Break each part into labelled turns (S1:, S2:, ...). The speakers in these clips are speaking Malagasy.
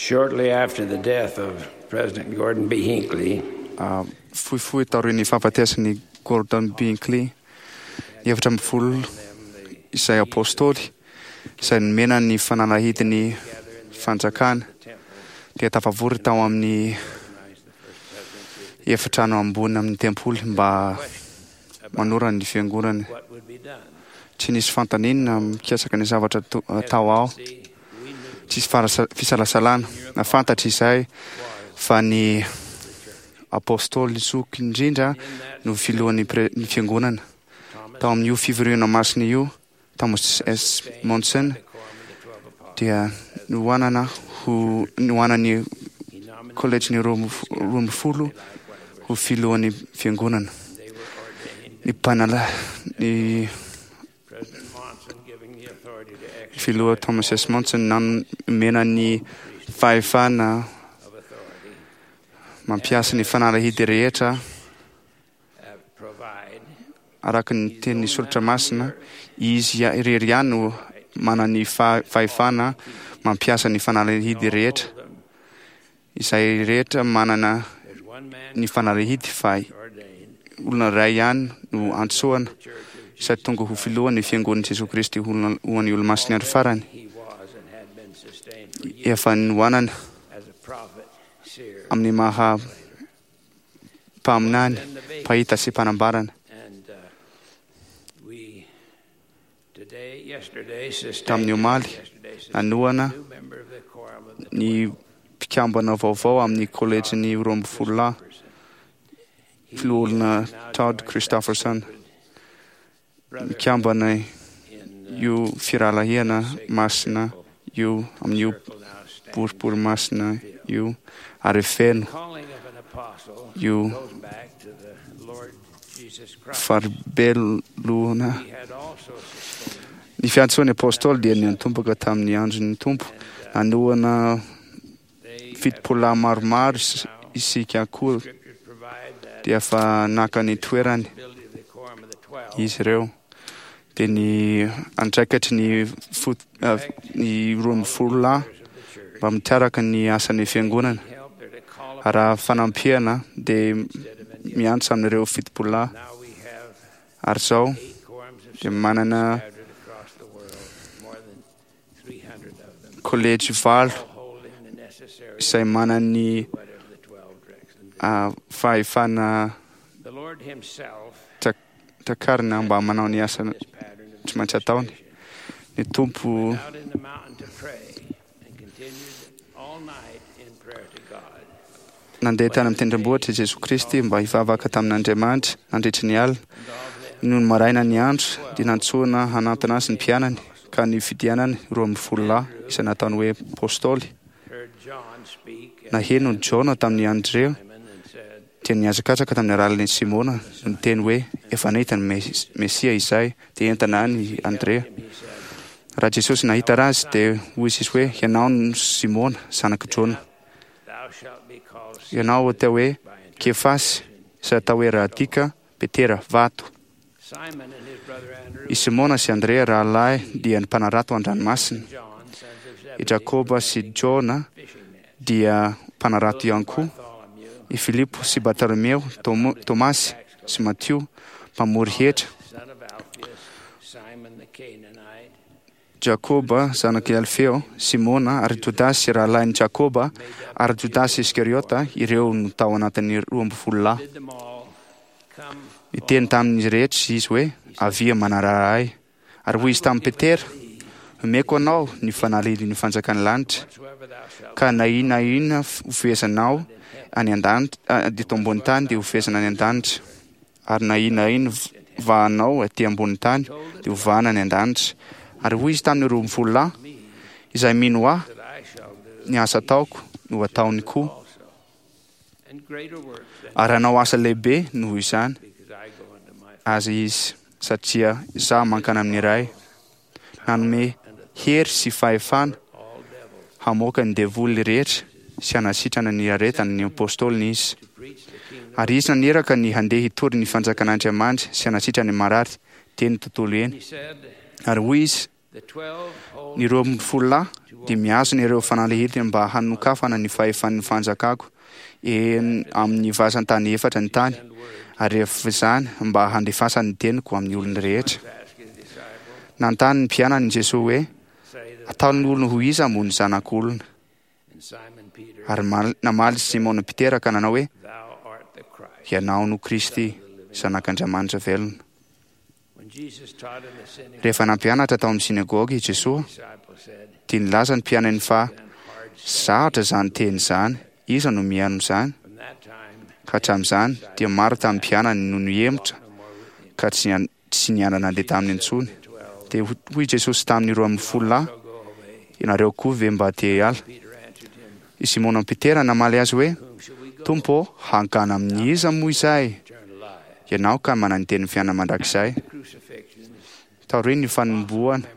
S1: Shortly after the death of President Gordon B. Hinckley,
S2: Fohifohy taorian'ny fahafatesan'i Gordon B. Hinckley, ny 14 izay apôstôly izay nomena ny fanalahidin'ny fanjakana dia tafavory tao amin'ny efitrano ambony amin'ny tempoly mba manorana ny fiangonana.
S1: what would be done?
S2: Tsy nisy fanontaniana mikasika ny zavatra atao ao. Tsisy fisalasalana. Na fantatra izay fa ny apôstôly zoky indrindra no filohan'ny ny fiangonana. Tao amin'io fivoriana masina io, Thomas S. Monson dia nohanana ho nohanan'ny kolejin'ny 12 ho filohan'ny fiangonana. Ny mpanala ny
S1: President Monson giving the authority to exercise
S2: filoha Thomas S. Monson nanomena ny fahefana
S1: of authority,
S2: mampiasa ny fanalahidy rehetra
S1: provide
S2: araka ny tenin'ny soratra masina. Izy irery ihany no manana ny fahefana mampiasa ny fanalahidy rehetra. Izay rehetra manana
S1: there's one man
S2: ny fanalahidy fa
S1: ordained
S2: olona iray ihany no antsoana izay tonga ho filohan'ny fiangonan'i Jesoa Kristy ho an'ny olomasin'ny andro farany.
S1: he was and had been sustained for years
S2: Efa nohanana
S1: as a prophet, seer,
S2: amin'ny maha mpaminany, mpahita sy mpanambarana.
S1: and we today, yesterday, sustained
S2: Tamin'ny omaly,
S1: yesterday, sustained
S2: nanohana
S1: a new member of the quorum of the
S2: ny mpikambana vaovao amin'ny kolejin'ny 12 lahy,
S1: person. He
S2: filoha
S1: is now
S2: Todd
S1: joined that
S2: Christofferson.
S1: sacred brotherhood
S2: Mikambana
S1: in,
S2: io firahalahiana masina io amin'io
S1: circle now stands.
S2: boribory masina io ary feno
S1: Calling of an apostle
S2: io
S1: goes back to the Lord Jesus Christ.
S2: faribelohana.
S1: He had also sustained
S2: Ny fiantsoan'ny apôstôly dia niantomboka tamin'ny andron'ny Tompo. Nanohana
S1: they
S2: 70 lahy maromaro isika koa
S1: scriptures provide that
S2: dia efa naka ny toerany
S1: ability of the quorum of the 12
S2: izy ireo. Dia ny andraikitry ny ny 12 lahy
S1: of the church
S2: mba mitaraka ny asan'ny fiangonana.
S1: help there to call upon
S2: Raha fanampiana dia
S1: instead of any.
S2: miantso amin'ireo 70 lahy.
S1: Now we have
S2: Ary izao
S1: 8 quorums of
S2: dia manana
S1: scattered across the world, more than 300 of them,
S2: kolejy 8
S1: all holding the necessary
S2: izay manana ny
S1: whatever the 12 directs them to.
S2: fahefana
S1: The Lord Himself
S2: takarina mba manao ny asa
S1: this pattern of
S2: tsy maintsy ataony.
S1: administration.
S2: Ny Tompo
S1: Out in the mountain to pray and continued all night in prayer to God.
S2: nandeha tany amin'ny tendrombohitra i Jesoa Kristy mba hivavaka tamin'Andriamanitra nandritry ny alina.
S1: And of them,
S2: Nony maraina ny andro dia nantsoina hanantona azy ny mpianany ka ny fidianany 12 lahy izay nataony hoe apôstôly.
S1: heard John speak and
S2: Naheno ny Jaona tamin'ny Andrea
S1: Simon and said,
S2: dia nihazakazaka tamin'ny alalan'i Simona no niteny hoe efa nahita ny Mesia izay dia entana any Andrea.
S1: him, he said,
S2: Raha Jesosy nahita azy dia hoy izy hoe ianao no Simona zanak'i Jaona.
S1: Thou shalt be called
S2: Ianao atao hoe
S1: by interpretation.
S2: Kefasy izay atao hoe Radika, Petera, vato.
S1: Simon and his brother Andrew,
S2: I Simona sy Andrea rahalahy dia ny mpanarato an-dranomasina.
S1: John, sons of
S2: I
S1: Zebedee,
S2: Jakoba sy Jaona
S1: fishing nets.
S2: dia mpanarato ihany koa.
S1: Bartholomew,
S2: I Filipo sy Bartolomeo, Tomasy sy Matio mpamory hetra.
S1: son of Alphaeus, Simon the Canaanite,
S2: Jakoba zanak'i Alfeo, Simona ary Jodasy rahalahin'i Jakoba ary Jodasy Iskariota ireo no tao anatin'ny 12 lahy.
S1: did them all come
S2: Niteny tamin'izy rehetra izy hoe avia manarara ahy. Ary hoy izy tamin'i Petera, omeko anao ny fanalahidin'ny fanjakan'ny lanitra
S1: whatsoever thou shalt
S2: ka na inona na inona hofehezanao any an-danitra, eto ambony tany dia hofehezana any an-danitra, ary na inona na inona vahanao aty ambony tany dia hovahana any an-danitra. Ary hoy izy tamin'ny 12 lahy, izay mino ahy,
S1: that I shall do
S2: ny asa ataoko no ataony koa,
S1: also, and greater works than
S2: ary hanao asa lehibe noho izany
S1: because I go unto my
S2: azy izy, satria izaho mankany amin'ny Ray. Nanome hery sy fahefana
S1: all devils
S2: hamoaka ny devoly rehetra sy hanasitrana ny aretany ny apôstôliny izy.
S1: to preach the kingdom
S2: Ary izy naniraka ny handeha hitory ny fanjakan'Andriamanitra sy hanasitrana ny marary teny tontolo eny.
S1: He said,
S2: Ary hoy izy,
S1: the 12 hold
S2: ny 12 lahy
S1: to
S2: dia mihazona ireo fanalahidiny mba hanokafana ny fahefan'ny fanjakako eny amin'ny vazan-tany efatra ny tany, ary rehefa izany mba handefasany ny teniko amin'ny olona rehetra. Nanontany ny mpianany Jesoa hoe, Ataon'ny olona ho iza moa ny Zanak'olona? Ary namaly Simona Petera ka nanao hoe, Ianao no Kristy, Zanak'Andriamanitra velona. Rehefa nampianatra tao amin'ny synagoga i Jesoa, dia nilaza ny mpianany fa sarotra izany teny izany, iza no mihaino izany? Ka hatramin'izany, dia maro tamin'ny mpianany no nihemotra ka tsy tsy niara-nandeha taminy intsony. Dia hoy Jesosy tamin'ny 12 lahy, Ianareo koa ve mba te hiala? I Simona Petera namaly azy hoe, Tompo ô, hankany amin'iza moa izahay? Ianao ka manana ny tenin'ny fiainana mandrakizay. Taorian'ny fanombohana,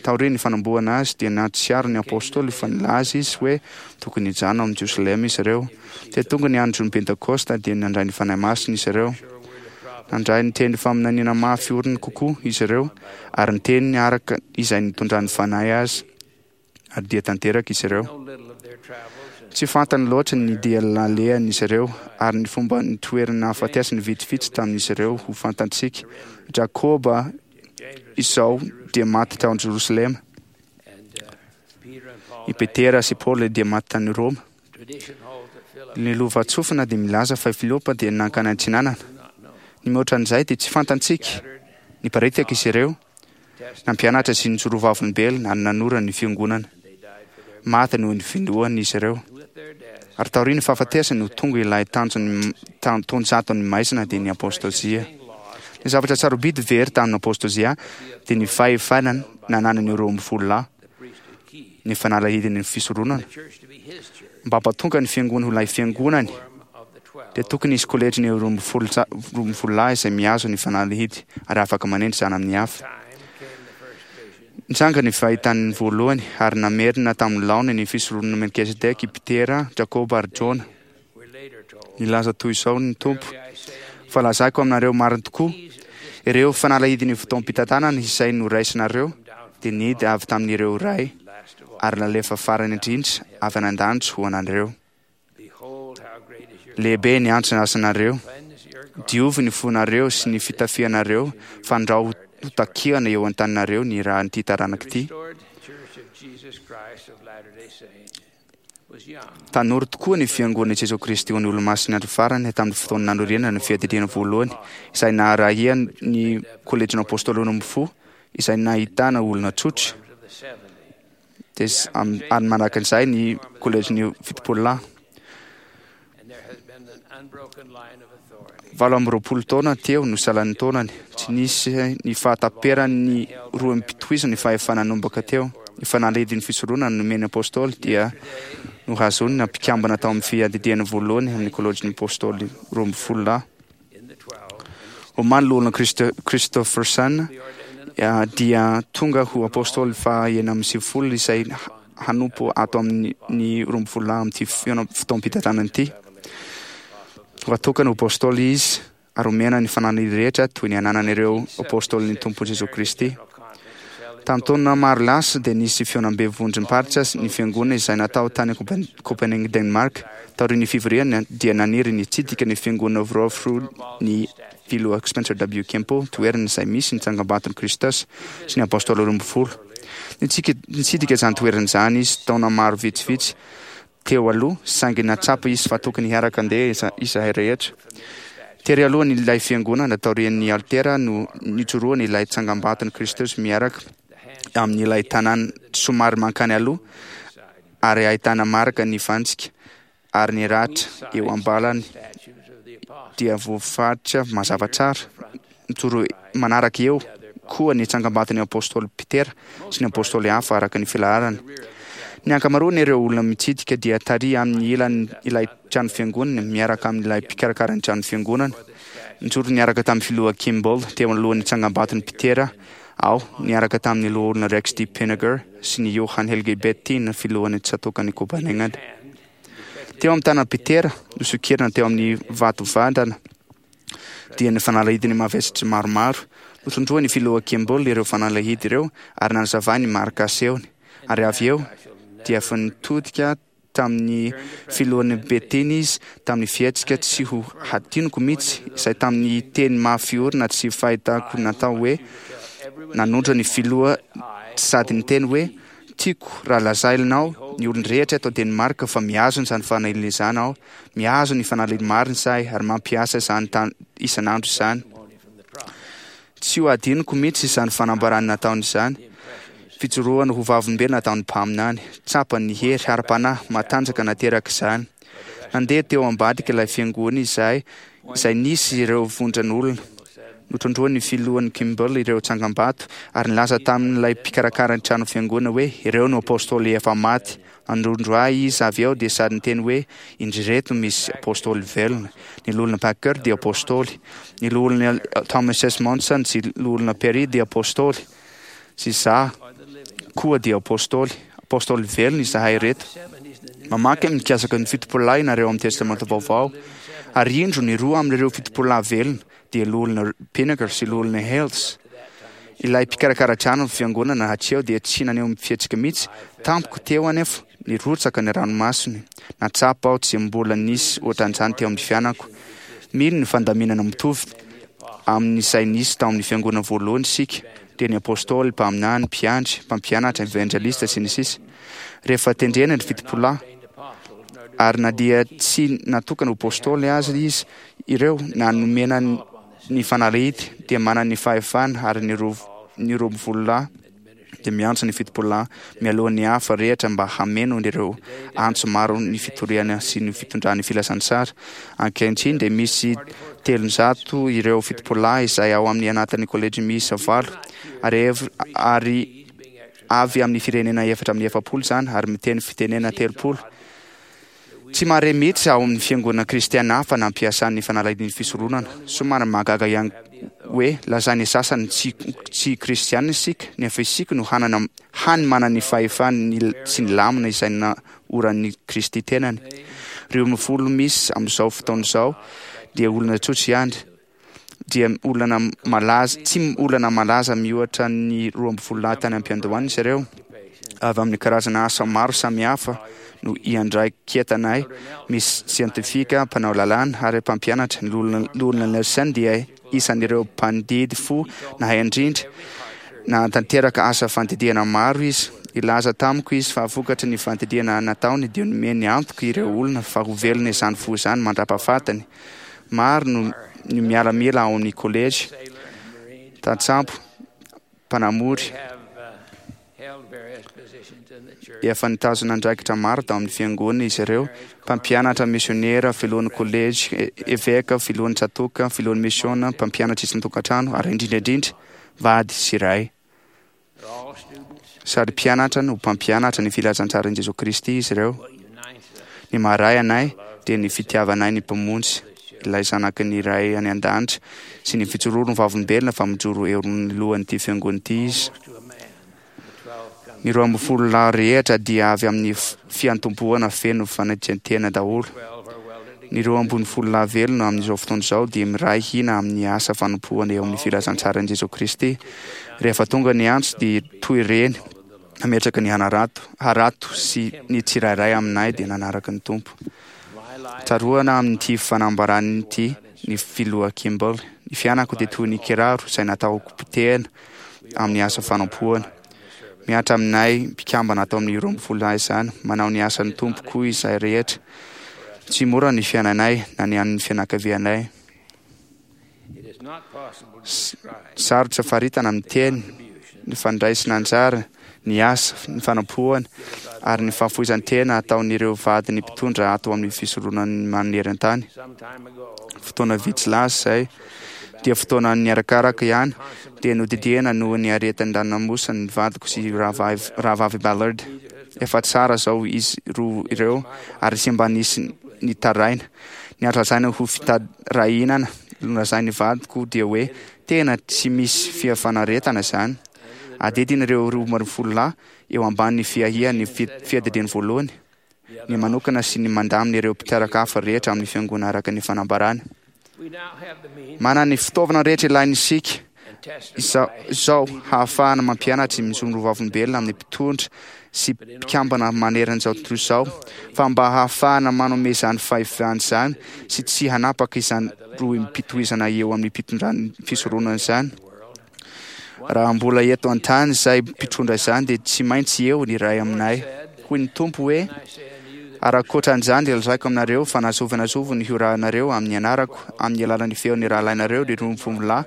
S2: taorian'ny fanombohana azy dia nahatsiaro ny apostoly fa nilaza izy hoe tokony hijanona ao amin'i Jerosalema izy ireo. Dia tonga ny andron'ny Pentekosta dia nandray ny Fanahy Masina izy ireo. Nandray ny teny faminaniana mafy orina kokoa izy ireo ary ny teniny araka izay nitondran'ny Fanahy azy. Ary dia tanteraka izy ireo. Tsy fantany loatra ny dia nalehan'izy ireo ary ny fomba nitoerany nahafatesany vitsivitsy tamin'izy ireo ho fantantsika. Jakoba izao dia maty tao Jerosalema. I Petera sy Paoly dia maty tany Roma. Ny lovantsofina dia milaza fa i Filipo dia nankany antsinanana. Ny mihoatra an'izay dia tsy fantantsika. Niparitaka izy ireo, nampianatra sy nijoro vavolombelona ary nanorina ny fiangonana. Maty noho ny finoany izy ireo. Ary taorian'ny fahafatesany no tonga ilay tanjon'ny taonjaton'ny maizina dia ny apostozia. Ny zavatra sarobidy very tamin'ny apostozia dia ny fahefana nananan'ireo 12 lahy, ny fanalahidin'ny fisoronana. Mba hampatonga ny fiangonana ho ilay fiangonany, dia tokony hisy kolejin'ny 12 lahy izay mihazo ny fanalahidy ary afaka manendry izany amin'ny hafa. Nitranga ny fahitany voalohany ary namerina tamin'ny laoniny ny fisoronana Melkizedeka i Petera, Jakoba ary Jona. Nilaza toy izao ny Tompo, Fa lazaiko aminareo marina tokoa, ireo fanalahidin'ny fotoam-pitantanana izay noraisinareo dia nidy avy tamin'ireo Ray ary nalefa farany indrindra avy any an-danitra ho anareo. Lehibe ny antso asanareo. Diovy ny fonareo sy ny fitafianareo, fandrao ho takiana eo an-taninareo ny ran'ity taranaka ity. Tanora tokoa ny Fiangonan'i Jesoa Kristy ho an'ny Olomasin'ny Andro Farany tamin'ny fotoana nanorenana ny Fiadidiana Voalohany, izay naharahiany ny Kôlejin'ny Apôstôly Roambinifolo, izay nahitana olona tsotra, dia ary manaraka an'izay ny Kôlejin'ny Fitopololahy. 28 taona teo no salan'ny taonany. Tsy nisy ny fahataperan'ny rohim-pitohizana ny fahefana nanomboka teo. Ny fanalahidin'ny fisoronana nomen'ny Apôstôly dia nohazonina mpikambana tao amin'ny fiadidiana voalohany amin'ny Kôlejin'ny Apôstôly 12 lahy. Omaly Loholona Christofferson dia tonga ho Apôstôly faha 96 izay hanompo ato amin'ny 12 lahy amin'ity fotoam-pitantanana ity. Ho atokana ho Apôstôly izy ary omena ny fananany rehetra toy ny ananan'ireo Apôstôlin'ny Tompo Jesoa Kristy. Tamin'ny taona maro lasa dia nisy fihaonambe vondrom-paritra ny Fiangonana izay natao tany Copenhague, Denmark. Taorian'ny fivoriana dia naniry ny hitsidika ny Fiangonana Vrofru ny Filoha Spencer W. Kempo, toerana izay misy ny tsangambaton'i Kristus sy ny Apôstôly 12. Nitsidika izany toerana izany izy taona maro vitsivitsy teo aloha, saingy nahatsapa izy fa tokony hiaraka handeha izahay rehetra. Tery alohany ilay fiangonana, taorian'ny alitera no nijoroany ilay tsangambaton'i Kristus miaraka amin'ilay tanàna somary mankany aloha ary ahitana marika ny fantsika ary ny ratra eo am-balany dia voafaritra mazava tsara. Mijoro manaraka eo koa ny tsangambaton'ny apostoly Petera sy ny apostoly hafa araka ny filaharany. Ny ankamaroan'ireo olona mitsidika dia tary amin'ny ilany ilay trano fiangonana miaraka amin'ilay mpikarakara ny trano fiangonana. Nijoro niaraka tamin'ny filoha Kimball teo anoloan'ny tsangambaton'i Petera aho, niaraka tamin'ny loholona Rex D. Pinegar sy ny Johan Helge Bettin, filohan'ny tsatòkan'i Copenhagen. Teo amin'ny tanan'i Petera, nosokirina teo amin'ny vato vandana, dia ny fanalahidiny mavesatra maromaro. Notondroan'ny filoha Kimball ireo fanalahidy ireo ary nanazavany ny marika asehony. Ary avy eo dia efa nitodika tamin'ny filohan'ny Betiny izy tamin'ny fihetsika tsy ho hadinoko mihitsy, izay tamin'ny teny mafy orina tsy fahitako natao hoe nanondro ny filoha sady niteny hoe, Tiako raha lazainao ny olon-drehetra eto Danemark fa mihazona izany fanahiliana izany aho, mihazona ny fanahiliana marina izahay ary mampiasa izany isan'andro izany. Tsy ho adinoko mihitsy izany fanambarana nataony izany. Fijoroana ho vavolombelona nataon'ny mpaminany. Tsapany ny hery ara-panahy matanjaka naterak'izany. Nandeha teo ambadik'ilay fiangonana izahay izay nisy ireo vondron'olona. Notondroin'ny filohan'ny Kimball ireo tsangambato ary nilaza tamin'ilay mpikarakara ny trano fiangonana hoe ireo no apostoly efa maty. Nanondro ahy izy avy eo dia sady niteny hoe, Indry ireto misy apostoly velona. Ny Loholona Packer dia apostoly. Ny Loholona Thomas S. Monson sy Loholona Perry dia apostoly. Sy izaho koa dia apostoly. Apostoly velona izahay ireto. Mamaky amin'ny mikasika ny fitopololahy ianareo amin'ny Testamenta Vaovao. Ary indro ny roa amin'ireo fitopololahy velona dia Loholona Pinnacle sy Loholona Hales. Ilay mpikarakara trano ny fiangonana hatreo dia tsy naneho fihetsika mihitsy. Tampoka teo anefa, nirotsaka ny ranomasony. Nahatsapa aho tsy mbola nisy ohatran'izany teo amin'ny fiainako. Mino ny fandaminana mitovy amin'izay nisy tao amin'ny fiangonana voalohany isika, dia ny apostoly, mpaminany, mpiandry, mpampianatra, evanjelista, sy ny sisa Rehefa tendrena ny fitopolahy, ary na dia tsy natokana ho apostoly aza izy ireo na nomena ny fanalahidy dia manana ny fahefana ary ny ny roa dia miantso ny fitopololahy mialoha ny hafa rehetra mba hameno ireo antso maro ny fitoriana sy ny fitondrany filazantsara. Ankehitriny dia misy 300 ireo fitopololahy izay ao amin'ny anatin'ny kolejy miisa valo ary ary avy amin'ny firenena 44 izany ary miteny fitenena 30. Tsy mahare mihitsy ao amin'ny fiangonana kristiana hafa nampiasany ny fanalahidin'ny fisoronana. Somary mahagaga ihany hoe lazain'ny sasany tsy tsy kristiana isika, nefa isika no hanana hany manana ny fahefany sy ny lamina izay naoran'i Kristy tenany. Ireo mifolo misy amin'izao fotoana izao dia olona tsotra ihany, dia olana malaza, tsy olana malaza mihoatra ny 12 lahy tany am-piandohana izy ireo. Avy amin'ny karazana asa maro samihafa no iandraiketanay, misy siantifika, mpanao lalàna ary mpampianatra. Ny Loholona Nelson dia isan'ireo mpandidy fo nahay indrindra. Nahatanteraka asa fandidiana maro izy. Nilaza tamiko izy fa vokatry ny fandidiana nataony dia nomeny antoka ireo olona fa ho velona izany fo izany mandra-pahafatiny. Maro no ny miaramila ao amin'ny kolejy, tantsambo, mpanamory. Efa nitazona andraikitra maro tao amin'ny fiangonana izy ireo, mpampianatra, misionera, filohan'ny kolejy, eveka, filohan'ny tsatòka, filohan'ny misiona, mpampianatra isan-tokantrano, ary indrindra indrindra, vady sy ray. Sady mpianatra no mpampianatra ny filazantsaran'i Jesoa Kristy izy ireo. Ny maha-ray anay dia ny fitiavanay ny Mpamonjy, ilay Zanaky ny Ray any An-danitra, sy ny fijoroany ho vavolombelona fa mijoro eo anoloan'ity fiangonana ity Izy. Ny 12 lahy rehetra dia avy amin'ny fiantombohana feno fanetren-tena daholo. Ny 12 lahy velona amin'izao fotoana izao dia miray hina amin'ny asa fanompoana eo amin'ny filazantsaran'i Jesoa Kristy. Rehefa tonga ny antso dia toy ireny nametraka ny hanarato, harato sy ny tsirairay aminay dia nanaraka ny Tompo. Tsaroana amin'ity fanambarana ity ny Filoha Kimball, Ny fiainako dia toy ny kiraro izay natao hopotehina amin'ny asa fanompoana. Mihatra aminay mpikambana ato amin'ny 12 lahy izany. Manao ny asan'ny Tompo koa izahay rehetra. Tsy mora ny fiainanay na ny an'ny fianakavianay. Sarotra faritana amin'ny teny ny fandraisana anjara, ny asa, ny fanompoana ary ny fahafoizan-tena ataon'ireo vadin'ny mpitondra ato amin'ny fisoronan'ny maneran-tany. Fotoana vitsy lasa izay, dia fotoana niarakaraka ihany, dia nodidiana noho ny aretin-dranomasina ny vadiko sy rahavavy Ballard. Efa tsara izao izy roa ireo ary tsy mba nisy nitaraina. Ny azo lazaina ho fitarainana nolazain'ny vadiko dia hoe tena tsy misy fiafanaretana izany. Adidin'ireo 12 lahy eo ambanin'ny fiahian'ny fiadidiany voalohany ny manokana sy ny mandamina ireo mpitaraka hafa rehetra amin'ny fiangonana araka ny fanambarana. Manana ny fitaovana rehetra ilaina isika. Izao hahafahana mampianatra mijoro ho vavolombelona amin'ny mpitondra sy mpikambana manerana izao tontolo izao, fa mba hahafahana manome izany fahefana izany sy tsy hanapaka izany rohim-pitohizana eo amin'ny mpitondran'ny fisoronana izany. Raha mbola eto an-tany izay mpitondra izany dia tsy maintsy eo ny iray aminay. Hoy ny Tompo hoe, Ary ankoatra an'izany dia lazaiko aminareo fa na zovy na zovy ny hiorahanareo amin'ny anarako amin'ny alalan'ny feon'ny rahalahinareo ry rombovolahy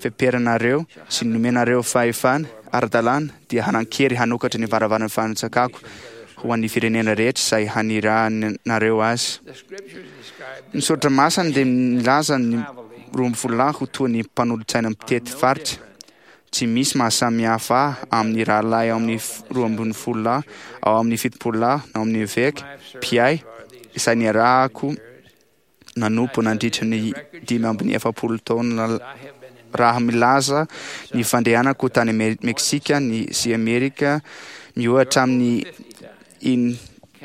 S2: feperanareo sy nomenareo fahefana ara-dalàna dia hanan-kery hanokatra ny varavaran'ny fanjakako ho an'ny firenena rehetra izay hanirahanareo azy. Ny soratra masina dia milaza ny roambinifolo lahy ho toa ny mpanolotsaina mpitety faritra. Tsy misy mahasamihafa ahy amin'ny rahalahy ao amin'ny 12 lahy, ao amin'ny 70 lahy, na ao amin'ny eveka, mpiahy, izay niarahako nanompo nandritra ny 45 taona raha milaza ny fandehanako tany Meksika ny sy Amerika miohatra amin'ny in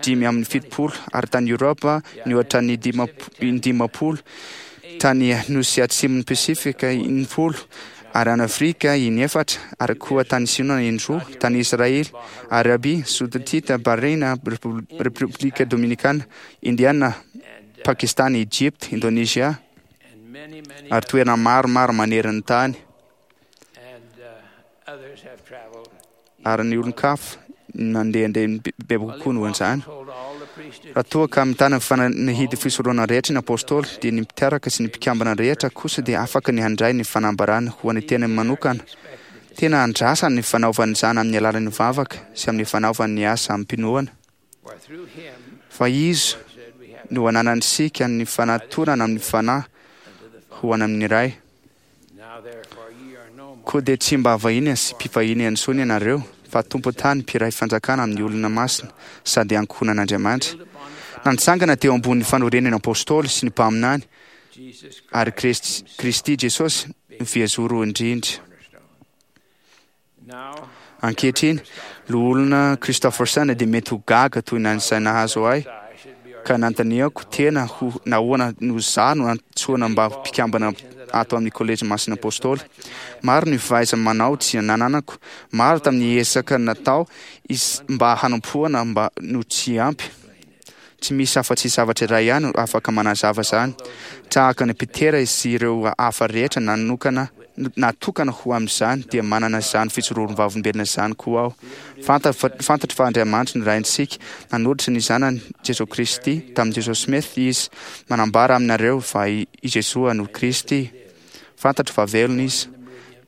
S2: 75 ary tany Europa nihoatra ny in-dimampolo, tany Nosy Atsimon'ny Pasifika in-folo, ary any Afrika in-efatra, ary koa tany Sina in-droa, tany Israely, Arabia Saodita, Bahrain, Repoblika Dominikana, Indiana, Pakistana, Egypta, Indonezia, ary toerana maromaro manerana ny tany. Ary ny olon-kafa nandehandeha bebe kokoa noho an'izany. Raha toa ka mitana ny fanahidy fisoronana rehetra ny Apôstôly, dia ny mpitaraka sy ny mpikambana rehetra kosa dia afaka ny handray ny fanambarana ho an'ny tenany manokana. Tena andrasany ny fanaovany izany amin'ny alalan'ny vavaka sy amin'ny fanaovany ny asa amim-pinoana. Fa Izy no ananantsika ny fanatonana amin'ny Fanahy ho any amin'ny Ray. Koa dia tsy mba vahiny sy mpivahiny intsony ianareo, fa tompon-tany mpiray fanjakana amin'ny olona masina sady ankohonan'Andriamanitra. Nantsangana teo ambony fanorenana Apôstôly sy ny mpaminany ary Kristy Jesosy no fehizoro indrindra. Ankehitriny, Loholona Christofferson dia mety ho gaga toy ny izay nahazo ahy, ka nanontaniako tena ho nahoana no izaho no nantsoina mba ho mpikambana ato amin'ny Kolejy Masina Apôstôly. Maro ny fahaiza-manao tsy nananako, maro tamin'ny ezaka natao mba hanompoana mba no tsy ampy. Tsy misy afa-tsy zavatra iray ihany afaka manazava izany. Tahaka an'i Petera sy ireo hafa rehetra nanokana, natokana ho amin'izany, dia manana izany fijoroam-vavolombelona izany koa aho. Fantatro fa Andriamanitra no Raintsika. Nanolotra ny Zanany, Jesoa Kristy, tamin'i Joseph Smith Izy. Manambara aminareo fa i Jesoa no Kristy. Fantatro fa velona Izy.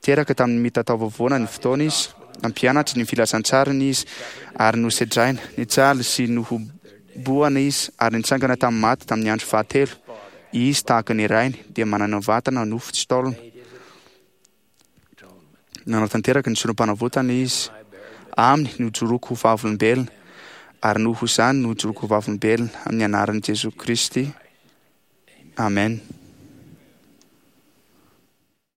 S2: Teraka tamin'ny mitataovovona ny fotoana Izy. Nampianatra ny filazantsarany Izy ary nosedraina, nijaly sy nohobohana Izy ary nitsangana tamin'ny maty tamin'ny andro fahatelo. Izy, tahaka ny Rainy, dia manana vatana nofo tsy taolana. Nanatanteraka ny sorom-panavotana Izy. Aminy no ijoroako ho vavolombelona, ary noho izany no ijoroako ho vavolombelona, amin'ny anaran'i Jesoa Kristy. Amen.